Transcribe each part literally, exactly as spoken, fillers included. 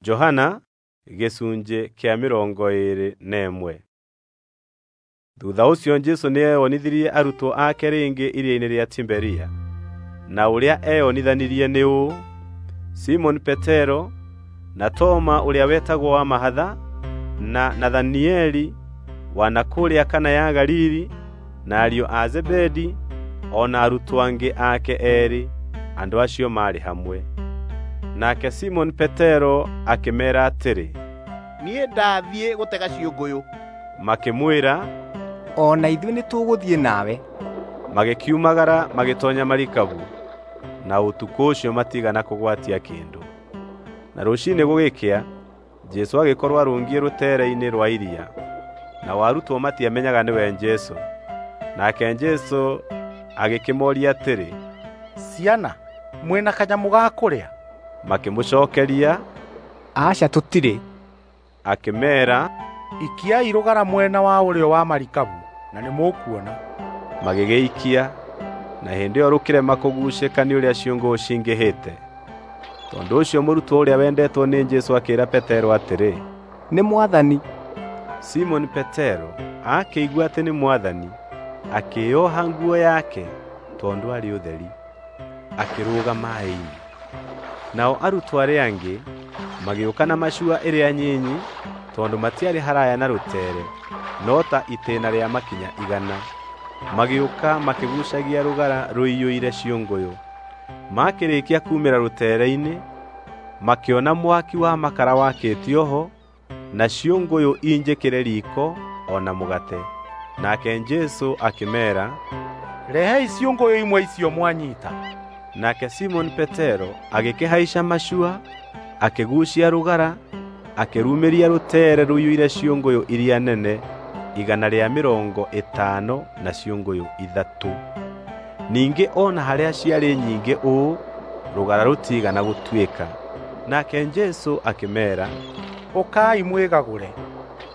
Johana gĩcunjĩ kĩa mĩrongo ĩĩrĩ na ĩmwe. Thutha ũcio Jesũ nĩeyonithirie arutwo ake rĩngĩ iria-inĩ rĩa Tiberia, na ũrĩa eyonithanirie nĩ ũũ: Simoni Petero, na Toma ũrĩa wetagwo wa mahatha, na Nathanieli wa na kũrĩa Kana ya Galili, na ariũ a Zebedi, o na arutwo angĩ ake eerĩ. Andũ acio maarĩ hamwe. Nake Simoni Petero akĩmeera atĩrĩ, "Niĩ ndathiĩ gũtega ciũngũyũ." Makĩmwĩra, "O na ithuĩ nĩtũgũthiĩ nawe." Magĩkiumagara magĩtoonya marikabu, na ũtukũ ũcio matiigana kũgwatia kĩndũ. Na rũciinĩ gũgĩkĩa, Jesũ agĩkorwo arũngiĩ rũteere-inĩ rwa iria, nao arutwo matiamenyaga nĩwe Jesũ. Nake Jesũ agĩkĩmooria atĩrĩ, "Ciana, mwĩna kanyamũ ga kũrĩa?" Makĩmũcookeria, "Aca, tũtirĩ." Akĩmeera, "Ikiai rũgara mwena wa ũrĩo wa marikabu na nĩmũkuona." Magĩgĩikia, na hĩndĩ ĩyo rũkĩrema kũguucĩka nĩ ũrĩa ciũngũyũ cingĩhĩte. Tondũ ũcio mũrutwo ũrĩa wendetwo nĩ Jesũ akĩĩra Petero atĩrĩ, "Nĩ Mwathani." Simoni Petero akĩigua atĩ nĩ Mwathani, akĩĩoha nguo yake tondũ aarĩ ũtheri, akĩrũga maaĩ-inĩ. Nao arutwo arĩa angĩ magĩũka na macua ĩrĩa nyinyi tondũ matiarĩ haraya na rũtere, no ta itĩĩna rĩa makinya igana. Magĩũka makĩguucagia rũgara rũiyũire ciũngũyũ. Makĩrĩkia kuumĩra rũtere-inĩ, makĩona mwaki wa makara wakĩtio ho, na ciũngũyũ injĩkĩre riiko o na mũgate. Nake Jesũ akĩmeera, "Rehei ciũngũyũ imwe icio mwanyita." Nake Simoni Petero agĩkĩhaica macua, akĩguucia rũgara, akĩrumĩria rũtere rũiyũire ciũngũyũ iria nene igana rĩa mĩrongo ĩtano na ciũngũyũ ithatũ. Ningĩ o na harĩa ciarĩ nyingĩ ũũ, rũgara rũtiigana gũtuĩka. Nake Jesũ akĩmeera, "Ũkai mwĩgagũre."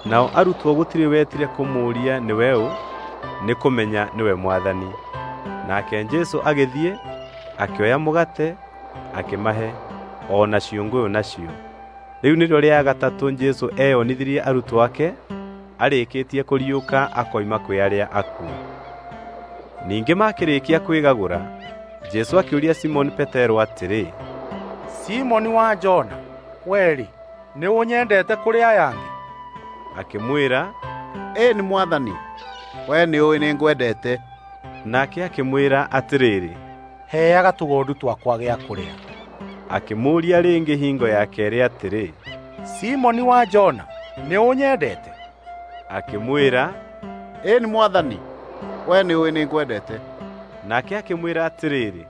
Nao arutwo gũtirĩ wetire kũmũũria nĩwe ũ, nĩ kũmenya nĩwe Mwathani. Nake Jesũ agĩthiĩ, akĩoya mũgate, akĩmahe, o na ciũngũyũ nacio. Rĩu nĩrĩo rĩa gatatũ Jesũ eyonithirie arutwo ake, arĩkĩtie kũriũka akoima kwĩ arĩa akuũ. Ningĩ makĩrĩkia kwĩgagũra, Jesũ akĩũria Simoni Petero atĩrĩ, "Simoni wa Jona, wee-rĩ, nĩũnyendete kũrĩ aya angĩ?" Akĩmwĩra, "Ĩĩ nĩ Mwathani, wee nĩũũĩ nĩngwendete." Nake akĩmwĩra atĩrĩrĩ, "Heaga tũgondu twakwa gĩa kũrĩa." Akĩmũũria rĩngĩ hingo ya keerĩ atĩrĩ, "Simoni wa Jona, nĩũnyendete?" Akĩmwĩra, "Ĩĩ nĩ Mwathani, wee nĩũũĩ nĩngwendete." Nake akĩmwĩra atĩrĩrĩ,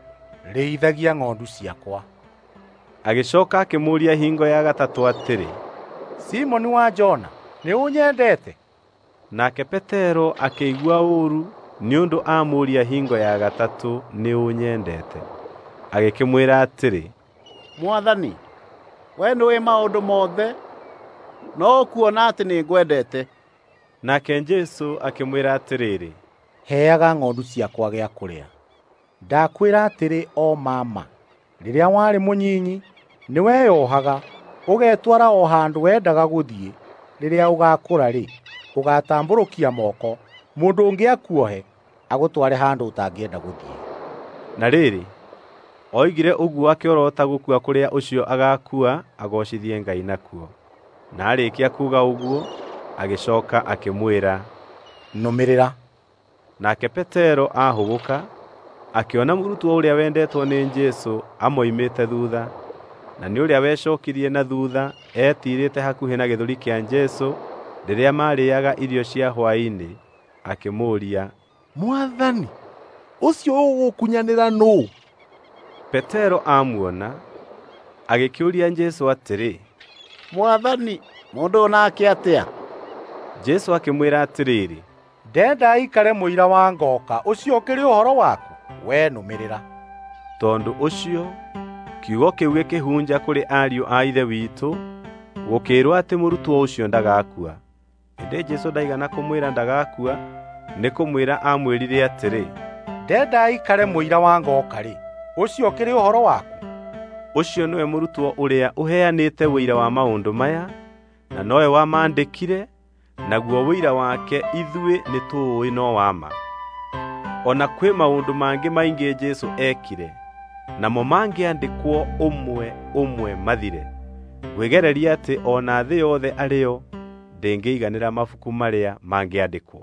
"Rĩithagia ng'ondu ciakwa." Agĩcooka akĩmũũria hingo ya gatatũ atĩrĩ, "Simoni wa Jona, nĩũnyendete?" Nake Petero akĩigua ũũru nĩ ũndũ amũũria hingo ya gatatũ nĩũnyendete. Agĩkĩmwĩra atĩrĩ, "Mwathani, wee nĩũũĩ maũndũ mothe, no ũkuona atĩ nĩngwendete." Nake Jesũ akĩmwĩra atĩrĩrĩ, "Heaga ng'ondu ciakwa gĩa kũrĩa. Ndakwĩra atĩrĩ o ma ma, rĩrĩa warĩ mũnyinyi nĩweyohaga ũgetwara o handũ wendaga gũthiĩ. Rĩrĩa ũgaakũra-rĩ, ũgatambũrũkia moko, mũndũ ũngĩ akuohe agũtware handũ ũtangĩenda gũthiĩ." Na rĩrĩ, oigire ũguo akĩorota gũkua kũrĩa ũcio agaakua agoocithie Ngai nakuo. Na aarĩkia kuuga ũguo, agĩcooka akĩmwĩra, "Nũmĩrĩra." Nake Petero ahũgũka, akĩona mũrutwo ũrĩa wendetwo nĩ Jesũ amoimĩte thuutha, na nĩ ũrĩa wecookirie na thuutha etiirĩte hakuhĩ na gĩthũri kĩa Jesũ rĩrĩa maarĩĩaga irio cia hwaĩ-inĩ, akĩmũũria, "Mwathani, ũcio ũgũkunyanĩra nũũ?" Petero amuona, agĩkĩũria Jesũ atĩrĩ, "Mwathani, mũndũ ũyũ nake atĩa?" Jesũ akĩmwĩra atĩrĩrĩ, "Ndenda aikare mũira wa ngooka, ũcio ũkĩrĩ ũhoro waku? Wee nũmĩrĩra." Tondũ ũcio kiugo kĩu gĩkĩhunja kũrĩ ariũ a Ithe witũ, gũkĩĩrwo atĩ mũrutwo ũcio ndagakua. Ĩndĩ Jesũ ndaigana kũmwĩra ndagakua, nĩ kũmwĩra aamwĩrire atĩrĩ, "Ndenda aikare mũira wa ngooka-rĩ, ũcio ũkĩrĩ ũhoro waku? Ũcio nĩwe mũrutwo ũrĩa ũheanĩte ũira wa maũndũ maya, na nowe wamaandĩkire, naguo ũira wake ithuĩ nĩtũũĩ no wa ma. O na kwĩ maũndũ mangĩ maingĩ Jesũ eekire, namo mangĩandĩkwo ũmwe ũmwe mathire. Ngwĩgereria atĩ o na thĩ yothe arĩ yo ndĩngĩiganĩra mabuku marĩa mangĩandĩkwo.